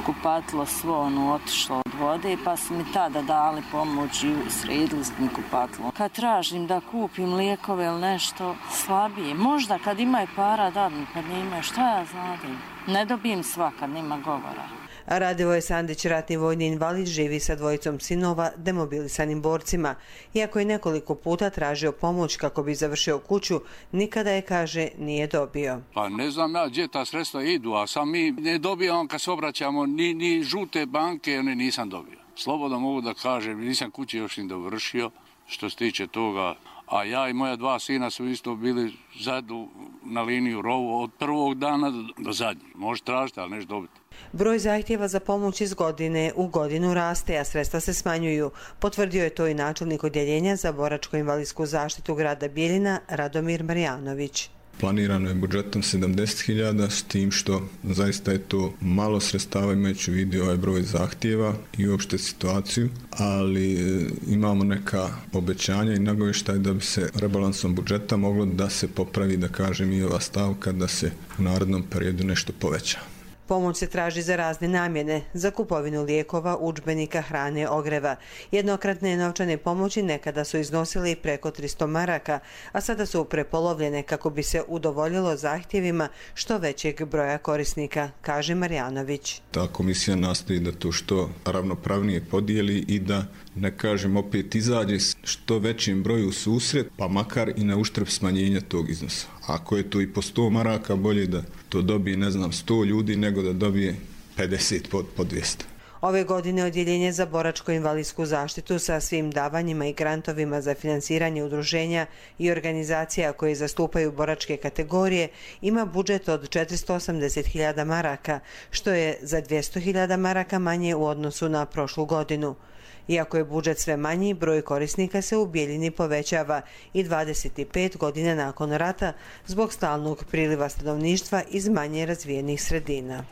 J: kupatilo svo otišlo od vode, pa su mi tada dali pomoć i sredili mi kupatilo. Kad tražim da kupim lijekove ili nešto slabije, možda kad imaju para dadnu, kad nemaju, šta ja znadim? Ne dobijem svakad, nema govora.
I: Radivoje Sandić, ratni vojni invalid, živi sa 2 sinova demobilisanim borcima. Iako je nekoliko puta tražio pomoć kako bi završio kuću, nikada je, kaže, nije dobio.
K: Pa ne znam ja gdje ta sredstva idu, a sam mi ne dobijamo kad se obraćamo ni žute banke, nisam dobio. Slobodno mogu da kažem, nisam kući još ni dovršio, što se tiče toga. A ja i moja 2 sina su isto bili zajedno na liniju rovu od prvog dana do zadnjeg. Može tražiti, ali nešto dobiti.
I: Broj zahtjeva za pomoć iz godine u godinu raste, a sredstva se smanjuju. Potvrdio je to i načelnik odjeljenja za boračko-invalidsku zaštitu grada Bijeljina, Radomir Marjanović.
L: Planirano je budžetom 70.000, s tim što zaista je to malo sredstava imajući u vidu ovaj broj zahtjeva i uopšte situaciju, ali imamo neka obećanja i nagovještaj da bi se rebalansom budžeta moglo da se popravi, da kažem, i ova stavka da se u narednom periodu nešto poveća.
I: Pomoć se traži za razne namjene, za kupovinu lijekova, udžbenika, hrane, ogreva. Jednokratne novčane pomoći nekada su iznosile i preko 300 maraka, a sada su prepolovljene kako bi se udovoljilo zahtjevima što većeg broja korisnika, kaže Marjanović.
L: Ta komisija nastoji da to što ravnopravnije podijeli i da, ne kažem, opet izađe što većem broju susret, pa makar i na uštrb smanjenja tog iznosa. Ako je to i po 100 maraka, bolje da to dobije, 100 ljudi, nego da dobije 50 po 200.
I: Ove godine odjeljenje za boračko-invalidsku zaštitu sa svim davanjima i grantovima za finansiranje udruženja i organizacija koje zastupaju boračke kategorije ima budžet od 480.000 maraka, što je za 200.000 maraka manje u odnosu na prošlu godinu. Iako je budžet sve manji, broj korisnika se u Bijeljini povećava i 25 godina nakon rata zbog stalnog priliva stanovništva iz manje razvijenih sredina.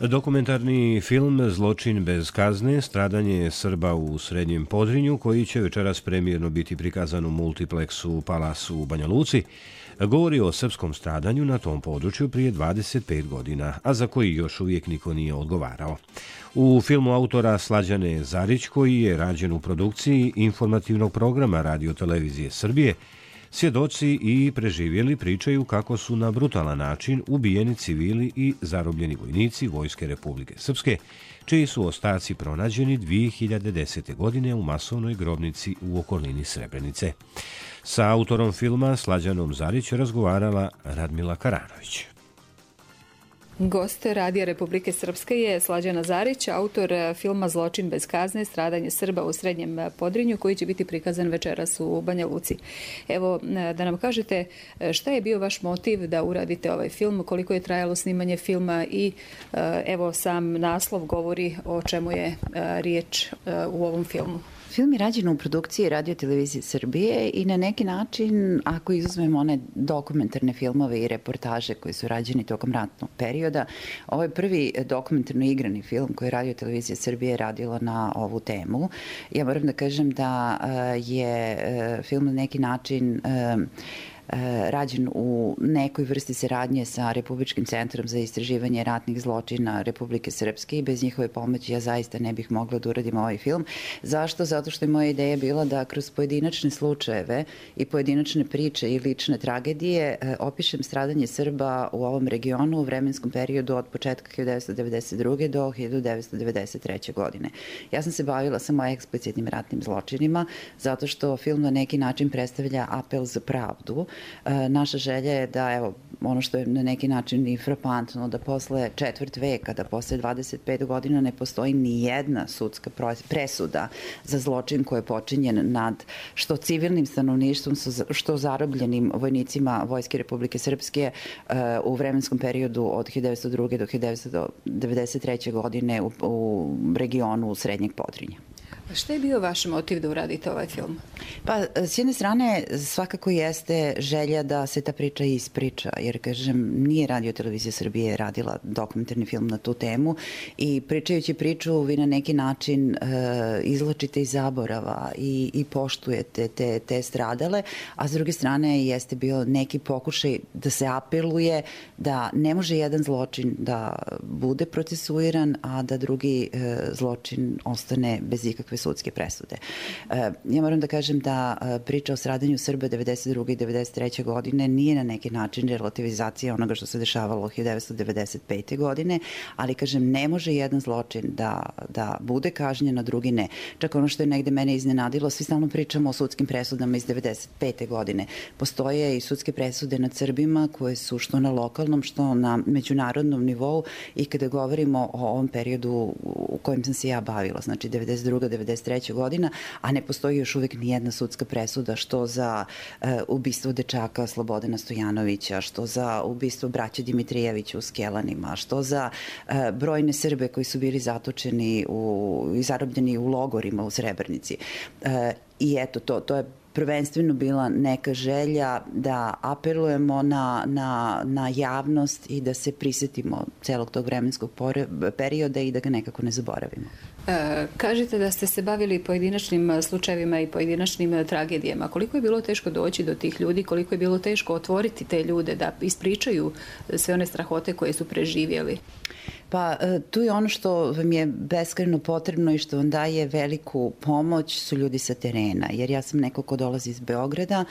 B: Dokumentarni film Zločin bez kazne, stradanje Srba u Srednjem Podrinju, koji će večeras premijerno biti prikazan u multipleksu Palas u Banja Luci, govori o srpskom stradanju na tom području prije 25 godina, a za koji još uvijek niko nije odgovarao. U filmu autora Slađane Zarić, koji je rađen u produkciji informativnog programa Radio-televizije Srbije, svjedoci i preživjeli pričaju kako su na brutalan način ubijeni civili i zarobljeni vojnici Vojske Republike Srpske, čiji su ostaci pronađeni 2010. godine u masovnoj grobnici u okolini Srebrenice. Sa autorom filma Slađanom Zarić razgovarala Radmila Karanović.
M: Gost Radija Republike Srpske je Slađana Zarić, autor filma Zločin bez kazne, stradanje Srba u Srednjem Podrinju, koji će biti prikazan večeras u Banja Luci. Evo, da nam kažete šta je bio vaš motiv da uradite ovaj film, koliko je trajalo snimanje filma i evo sam naslov govori o čemu je riječ u ovom filmu.
N: Film je rađen u produkciji Radio-televizije Srbije i na neki način, ako izuzmemo one dokumentarne filmove i reportaže koji su rađeni tokom ratnog perioda, ovo je prvi dokumentarno igrani film koji je Radio-televizija Srbije radila na ovu temu. Ja moram da kažem da je film na neki način rađen u nekoj vrsti saradnje sa Republičkim centrom za istraživanje ratnih zločina Republike Srpske i bez njihove pomoći ja zaista ne bih mogla da uradim ovaj film. Zašto? Zato što je moja ideja bila da kroz pojedinačne slučajeve i pojedinačne priče i lične tragedije opišem stradanje Srba u ovom regionu u vremenskom periodu od početka 1992. do 1993. godine. Ja sam se bavila samo eksplicitnim ratnim zločinima zato što film na neki način predstavlja apel za pravdu naša želja je da, evo, ono što je na neki način i frapantno, da posle četvrt veka, da posle 25 godina ne postoji ni jedna sudska presuda za zločin koji je počinjen nad što civilnim stanovništvom, što zarobljenim vojnicima Vojske Republike Srpske u vremenskom periodu od 1902. do 1993. godine u regionu Srednjeg Podrinja.
M: Šta je bio vaš motiv da uradite ovaj film?
N: Pa, s jedne strane, svakako jeste želja da se ta priča ispriča, jer, kažem, nije Radio Televizija Srbije radila dokumentarni film na tu temu i pričajući priču vi na neki način izlačite iz zaborava i poštujete te stradale, a s druge strane jeste bio neki pokušaj da se apeluje da ne može jedan zločin da bude procesuiran, a da drugi zločin ostane bez ikakve sudske presude. Ja moram da kažem da priča o stradanju Srba 1992. i 1993. godine nije na neki način relativizacija onoga što se dešavalo 1995. godine, ali, kažem, ne može jedan zločin da bude kažnjen, a drugi ne. Čak ono što je negde mene iznenadilo, svi stalno pričamo o sudskim presudama iz 1995. godine. Postoje i sudske presude nad Srbima koje su što na lokalnom, što na međunarodnom nivou i kada govorimo o ovom periodu u kojem sam se ja bavila, znači 1992. 1993. godina, a ne postoji još uvijek nijedna sudska presuda što za ubistvo dečaka Slobodana Stojanovića, što za ubistvo braće Dimitrijevića u Skelanima, što za brojne Srbe koji su bili zatočeni i zarobljeni u logorima u Srebrenici. I eto, to je prvenstveno bila neka želja da apelujemo na javnost i da se prisjetimo celog tog vremenskog perioda i da ga nekako ne zaboravimo.
M: Kažete da ste se bavili pojedinačnim slučajevima i pojedinačnim tragedijama. Koliko je bilo teško doći do tih ljudi, koliko je bilo teško otvoriti te ljude da ispričaju sve one strahote koje su preživjeli?
N: Pa tu je ono što vam je beskrajno potrebno i što vam daje veliku pomoć su ljudi sa terena. Jer ja sam neko ko dolazi iz Beograda,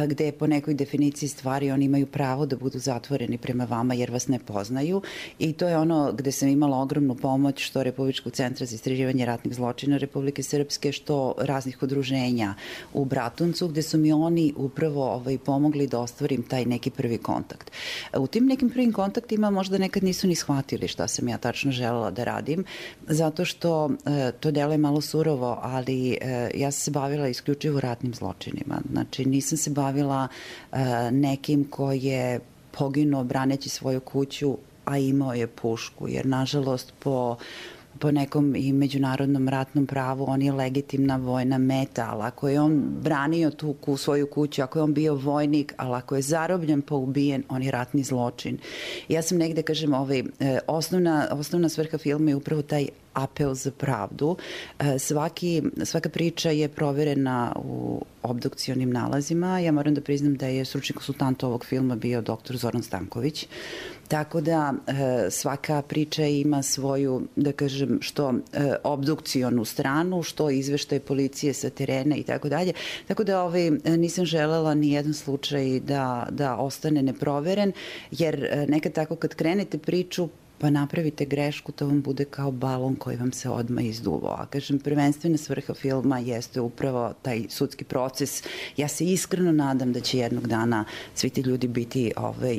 N: gde po nekoj definiciji stvari oni imaju pravo da budu zatvoreni prema vama jer vas ne poznaju. I to je ono gde sam imala ogromnu pomoć što Republičkog centra za istraživanje ratnih zločina Republike Srpske, što raznih udruženja u Bratuncu, gde su mi oni upravo pomogli da ostvarim taj neki prvi kontakt. U tim nekim prvim kontaktima možda nekad nisu ni shvatili šta sam ja tačno želela da radim, zato što to deluje malo surovo, ali ja sam se bavila isključivo ratnim zločinima. Znači, nisam se bavila nekim ko je poginuo braneći svoju kuću, a imao je pušku, jer nažalost po nekom i međunarodnom ratnom pravu on je legitimna vojna meta, ali ako je on branio tu svoju kuću, ako je on bio vojnik, ali ako je zarobljen pa ubijen, on je ratni zločin. Ja sam negde, kažem, osnovna svrha filma je upravo taj apel za pravdu. Svaka priča je proverena u obdukcionim nalazima. Ja moram da priznam da je stručni konsultant ovog filma bio dr. Zoran Stanković. Tako da svaka priča ima svoju, da kažem, što obdukcionu stranu, što izveštaj policije sa terena i tako dalje. Tako da nisam želela ni jedan slučaj da ostane neproveren, jer nekad tako kad krenete priču, pa napravite grešku, to vam bude kao balon koji vam se odmah izduvao. A kažem, prvenstvena svrha filma jeste upravo taj sudski proces. Ja se iskreno nadam da će jednog dana svi ti ljudi biti,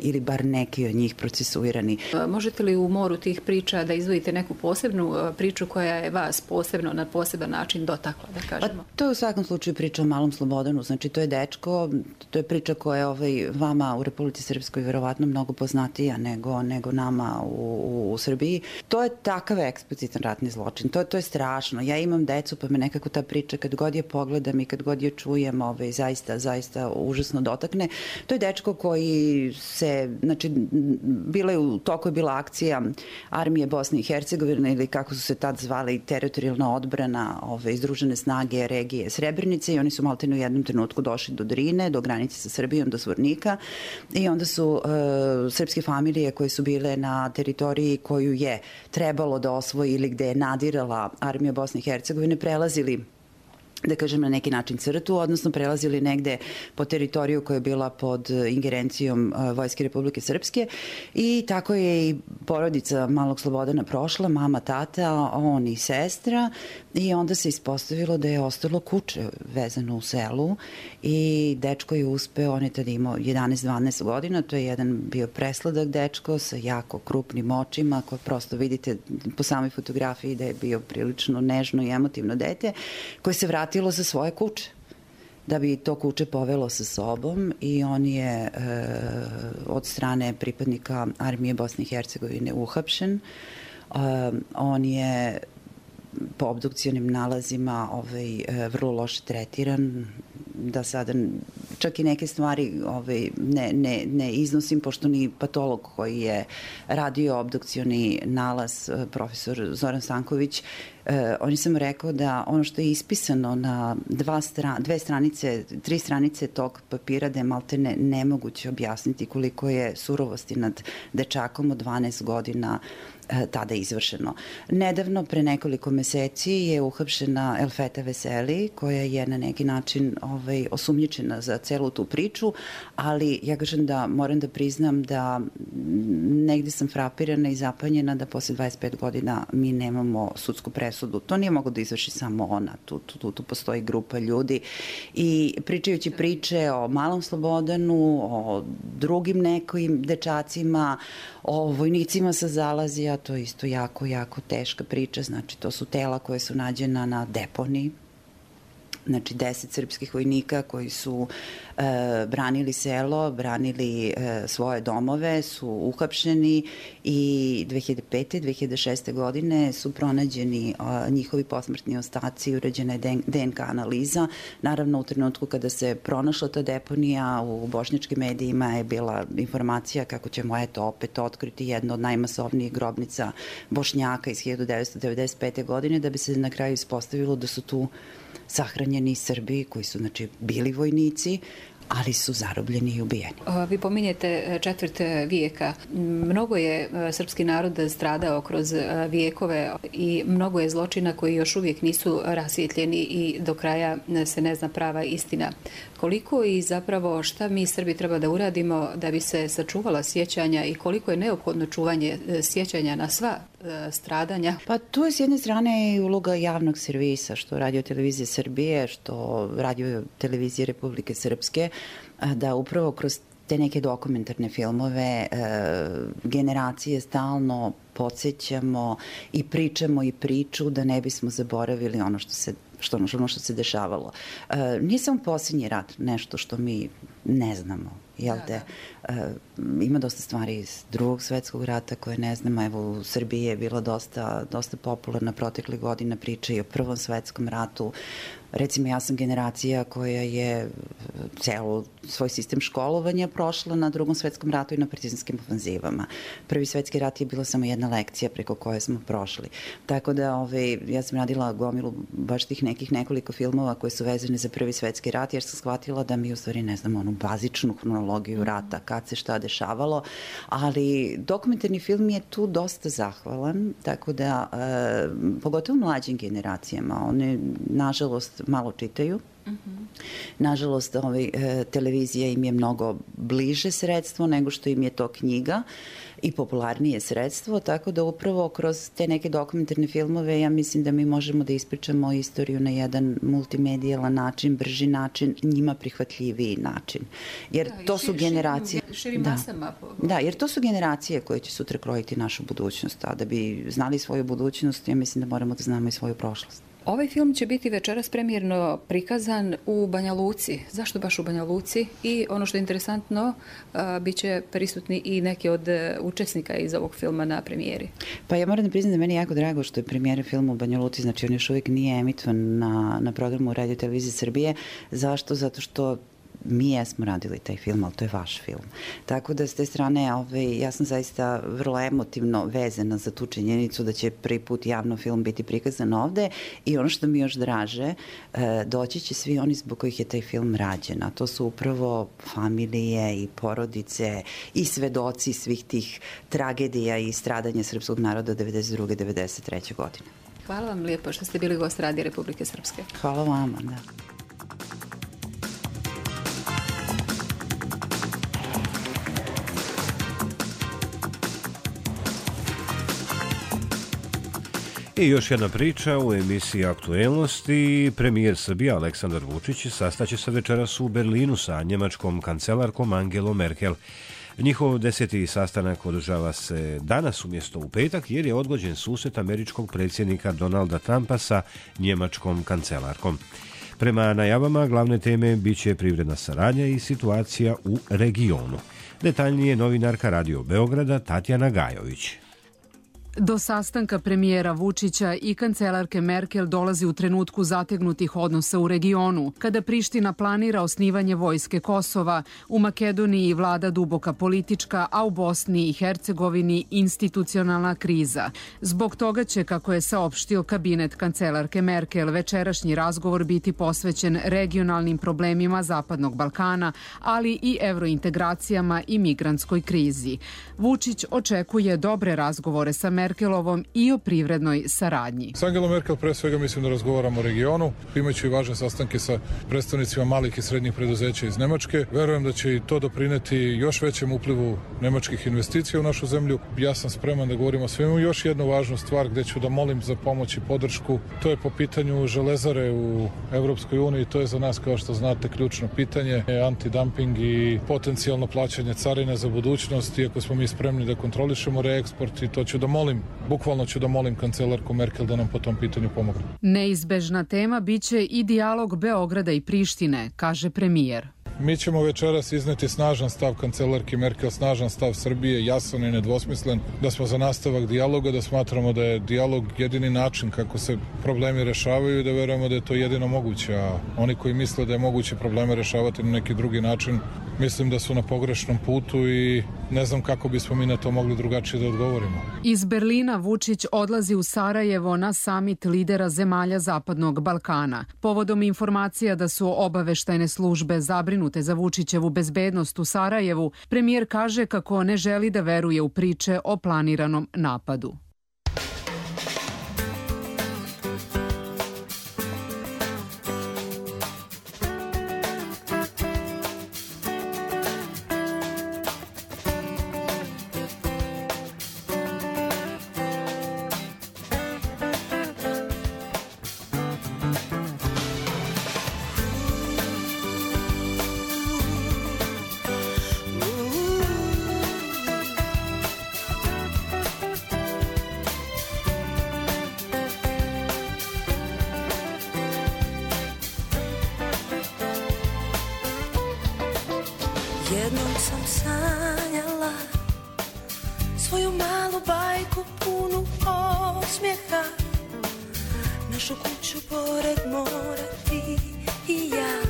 N: ili bar neki od njih, procesuirani.
M: Možete li u moru tih priča da izdvojite neku posebnu priču koja je vas posebno, na poseban način dotakla, da kažemo?
N: To je u svakom slučaju priča o Malom Slobodanu. Znači, to je dečko, to je priča koja je vama u Republici Srpskoj verovatno mnogo poznatija nego nama u Srbiji. To je takav eksplicitan ratni zločin. To je strašno. Ja imam decu, pa me nekako ta priča kad god je pogledam i kad god je čujem, zaista užasno dotakne. To je dečko koji se, znači, u toku je bila akcija Armije Bosne i Hercegovine, ili kako su se tad zvali, teritorijalna odbrana, Združene snage regije Srebrenice, i oni su maltene u jednom trenutku došli do Drine, do granice sa Srbijom, do Zvornika, i onda su srpske familije koje su bile na teritoriji koju je trebalo da osvoji ili gde je nadirala Armija Bosne i Hercegovine prelazili da kažem na neki način crtu, odnosno prelazili negde po teritoriju koja je bila pod ingerencijom Vojske Republike Srpske i tako je i porodica malog Slobodana prošla, mama, tata, on i sestra i onda se ispostavilo da je ostalo kuće vezano u selu i dečko je uspeo, on je tada imao 11-12 godina, to je jedan bio presladak dečko sa jako krupnim očima koje prosto vidite po samoj fotografiji da je bio prilično nežno i emotivno dete koje se vratilo za svoje kuće da bi to kuće povelo sa sobom i on je od strane pripadnika armije Bosne i Hercegovine uhapšen. On je po obdukcionim nalazima vrlo loše tretiran, da sada čak i neke stvari ne iznosim, pošto ni patolog koji je radio obdukcioni nalaz, profesor Zoran Stanković, on je samo rekao da ono što je ispisano na 3 stranice tog papira da je maltene nemoguće objasniti koliko je surovosti nad dečakom od 12 godina tada izvršeno. Nedavno, pre nekoliko meseci, je uhapšena Elfeta Veseli, koja je na neki način osumnjičena za celu tu priču, ali ja kažem da moram da priznam da negde sam frapirana i zapanjena da posle 25 godina mi nemamo sudsku presudu. To nije moglo da izvrši samo ona. Tu postoji grupa ljudi i pričajući priče o malom Slobodanu, o drugim nekim dečacima, o vojnicima sa Zalazija, to je isto jako, jako teška priča. Znači, to su tela koje su nađena na deponiji. Znači, 10 srpskih vojnika koji su branili selo, branili svoje domove, su uhapšeni i 2005. 2006. godine su pronađeni njihovi posmrtni ostaci, urađena je DNK analiza. Naravno, u trenutku kada se pronašla ta deponija, u bošnjačkim medijima je bila informacija kako ćemo opet otkriti jednu od najmasovnijih grobnica Bošnjaka iz 1995. godine, da bi se na kraju ispostavilo da su tu sahranjeni Srbi koji su bili vojnici, ali su zarobljeni i ubijeni.
M: Vi pominjete četvrt vijeka. Mnogo je srpski narod stradao kroz vijekove i mnogo je zločina koji još uvijek nisu rasvjetljeni i do kraja se ne zna prava istina. Koliko i zapravo šta mi Srbi treba da uradimo da bi se sačuvala sjećanja i koliko je neophodno čuvanje sjećanja na sva stradanja?
N: Pa tu je s jedne strane i uloga javnog servisa, što Radio televizije Srbije, što Radio televizije Republike Srpske, da upravo kroz te neke dokumentarne filmove generacije stalno podsjećamo i pričamo i priču da ne bismo zaboravili ono što se dešavalo. Nije samo posljednji rat nešto što mi ne znamo, jel te? Ima dosta stvari iz Drugog svjetskog rata koje ne znamo. Evo, u Srbiji je bila dosta popularna proteklih godina priča i o Prvom svjetskom ratu. Recimo, ja sam generacija koja je celo svoj sistem školovanja prošla na Drugom svjetskom ratu i na partizanskim ofanzivama. Prvi svjetski rat je bila samo jedna lekcija preko koje smo prošli. Tako da ja sam radila gomilu baš tih nekoliko filmova koje su vezane za Prvi svjetski rat, jer sam shvatila da mi u stvari ne znamo onu bazičnu hronologiju rata, kad se šta dešavalo, ali dokumentarni film je tu dosta zahvalan, tako da pogotovo mlađim generacijama, one nažalost malo čitaju. Nažalost, televizija im je mnogo bliže sredstvo nego što im je to knjiga i popularnije sredstvo, tako da upravo kroz te neke dokumentarne filmove ja mislim da mi možemo da ispričamo istoriju na jedan multimedijalan način, brži način, njima prihvatljiviji način. Jer to su generacije... Da, jer to su generacije koje će sutra krojiti našu budućnost, a da bi znali svoju budućnost, ja mislim da moramo da znamo i svoju prošlost.
M: Ovaj film će biti večeras premijerno prikazan u Banja Luci. Zašto baš u Banja Luci? I ono što je interesantno, bit će prisutni i neki od učesnika iz ovog filma na premijeri.
N: Pa ja moram da priznam da meni jako drago što je premijera filma u Banja Luci, znači on još uvijek nije emitovan na programu Radio televizije Srbije. Zašto? Zato što mi jesmo radili taj film, ali to je vaš film. Tako da s te strane ja sam zaista vrlo emotivno vezana za tu činjenicu da će prvi put javno film biti prikazan ovde i ono što mi još draže, doći će svi oni zbog kojih je taj film rađen, a to su upravo familije i porodice i svedoci svih tih tragedija i stradanja srpskog naroda 1992. 1993. godine.
M: Hvala vam lijepo što ste bili gost Radija Republike Srpske.
N: Hvala vama, da.
B: I još jedna priča u emisiji Aktuelnosti. Premijer Srbije Aleksandar Vučić sastaće se večeras u Berlinu sa njemačkom kancelarkom Angelom Merkel. Njihov 10. sastanak održava se danas umjesto u petak jer je odgođen susret američkog predsjednika Donalda Trumpa sa njemačkom kancelarkom. Prema najavama glavne teme bit će privredna saradnja i situacija u regionu. Detaljnije novinarka Radio Beograda Tatjana Gajović.
O: Do sastanka premijera Vučića i kancelarke Merkel dolazi u trenutku zategnutih odnosa u regionu, kada Priština planira osnivanje vojske Kosova, u Makedoniji vlada duboka politička, a u Bosni i Hercegovini institucionalna kriza. Zbog toga će, kako je saopštio kabinet kancelarke Merkel, večerašnji razgovor biti posvećen regionalnim problemima Zapadnog Balkana, ali i evrointegracijama i migrantskoj krizi. Vučić očekuje dobre razgovore sa Merkelovom i o privrednoj saradnji.
P: S Angelom Merkel pre svega mislim da razgovaramo o regionu, imajući i važne sastanke sa predstavnicima malih i srednjih preduzeća iz Nemačke. Verujem da će i to doprineti još većem uplivu nemačkih investicija u našu zemlju. Ja sam spreman da govorimo o svemu. Još jednu važnu stvar gdje ću da molim za pomoć i podršku, to je po pitanju železare u Evropskoj uniji. To je za nas, kao što znate, ključno pitanje. Antidumping i potencijalno plaćanje carine za budućnost, iako smo mi spremni da kontrolišemo reeksport, i to ću da molim, bukvalno ću da molim kancelarku Merkel da nam po tom pitanju pomogne.
O: Neizbežna tema biće i dijalog Beograda i Prištine, kaže premijer.
P: Mi ćemo večeras izneti snažan stav kancelarke Merkel, snažan stav Srbije, jasan i nedvosmislen, da smo za nastavak dijaloga, da smatramo da je dijalog jedini način kako se problemi rešavaju i da verujemo da je to jedino moguće. A oni koji misle da je moguće probleme rešavati na neki drugi način, mislim da su na pogrešnom putu i ne znam kako bismo mi na to mogli drugačije da odgovorimo.
O: Iz Berlina Vučić odlazi u Sarajevo na samit lidera zemalja Zapadnog Balkana. Povodom informacija da su obaveštajne službe zabrinute za Vučićevu bezbednost u Sarajevu, premijer kaže kako ne želi da veruje u priče o planiranom napadu.
Q: Jednom sam sanjala svoju malu bajku punu osmijeha, našu kuću pored mora, ti i ja,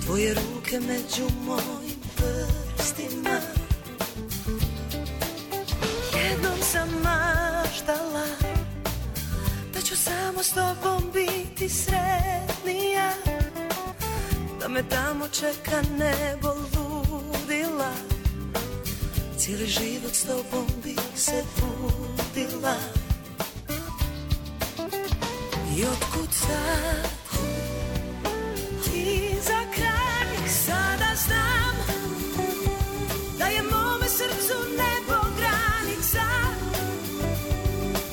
Q: tvoje ruke među mojim prstima. Jednom sam maštala da ću samo s tobom biti sretnija, da me tamo čeka nebo ludila, cijeli život s tobom bi se budila. I otkud sad ti za kraj sada znam da je mome srcu nebo granica,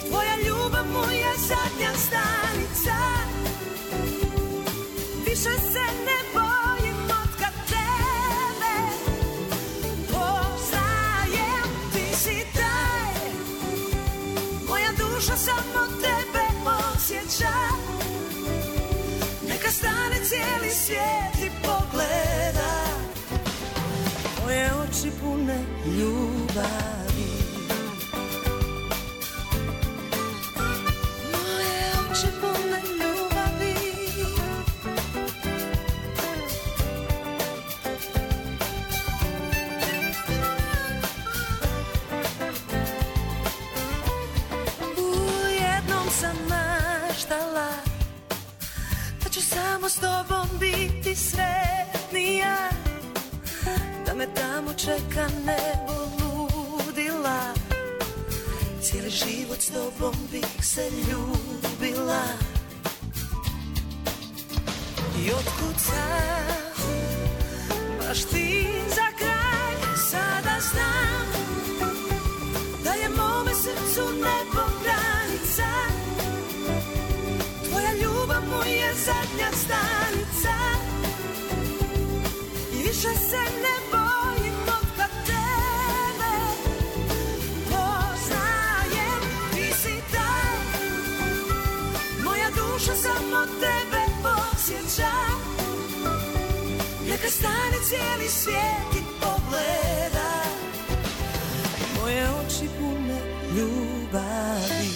Q: tvoja ljubav mu je zadnja stanica, više se ne bojim otkad tebe poznajem, ti si taj, moja duša samo tebe osjeća, neka stane cijeli svijet i pogleda tvoje oči pune ljubavi, moje oči pune ljubavi. Jednom sam maštala da ću samo s tobom biti sretnija, da me tamo čeka nebo ludila, cijeli život s tobom bih se ljubila. I otkud sad, baš ti za kraj, sada znam da je mome srcu nebo granica. Tvoja ljubav mu je zadnja stanica. I više se ne bojim od kad tebe poznajem. Ti si taj, moja duša samo tebe posjeća. Neka stane cijeli svijet i pogleda moje oči pune ljubavi.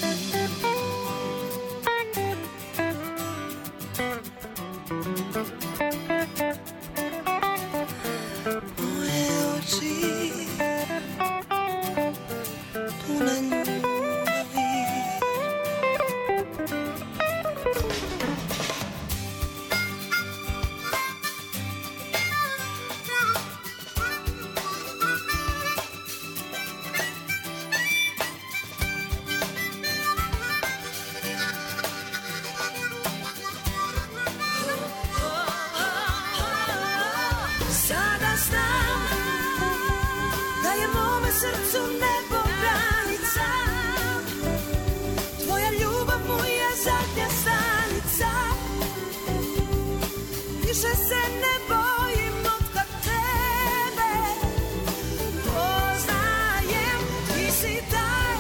Q: Srcu nebo granica, tvoja ljubav mu je zadnja stanica. Više se ne bojim od kad tebe poznajem. Ti si taj,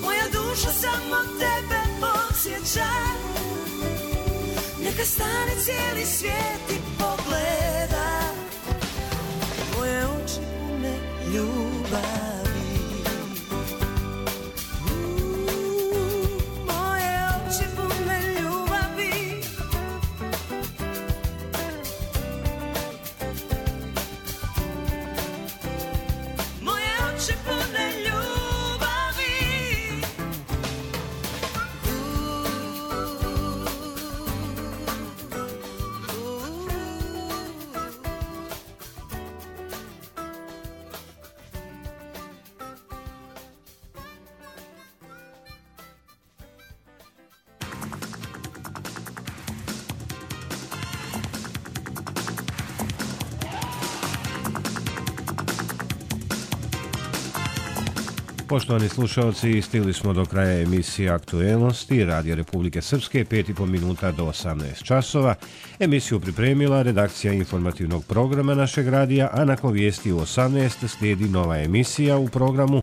Q: moja duša samo tebe posjeća. Neka stane cijeli svijet i pogleda moje oči ljubavi. Moje oči pune ljubavi. Moje oči pune ljubavi.
B: Poštovani slušalci, stigli smo do kraja emisije Aktuelnosti Radio Republike Srpske, 5,5 minuta do 18 časova. Emisiju pripremila redakcija informativnog programa našeg radija, a nakon vijesti u 18 slijedi nova emisija u programu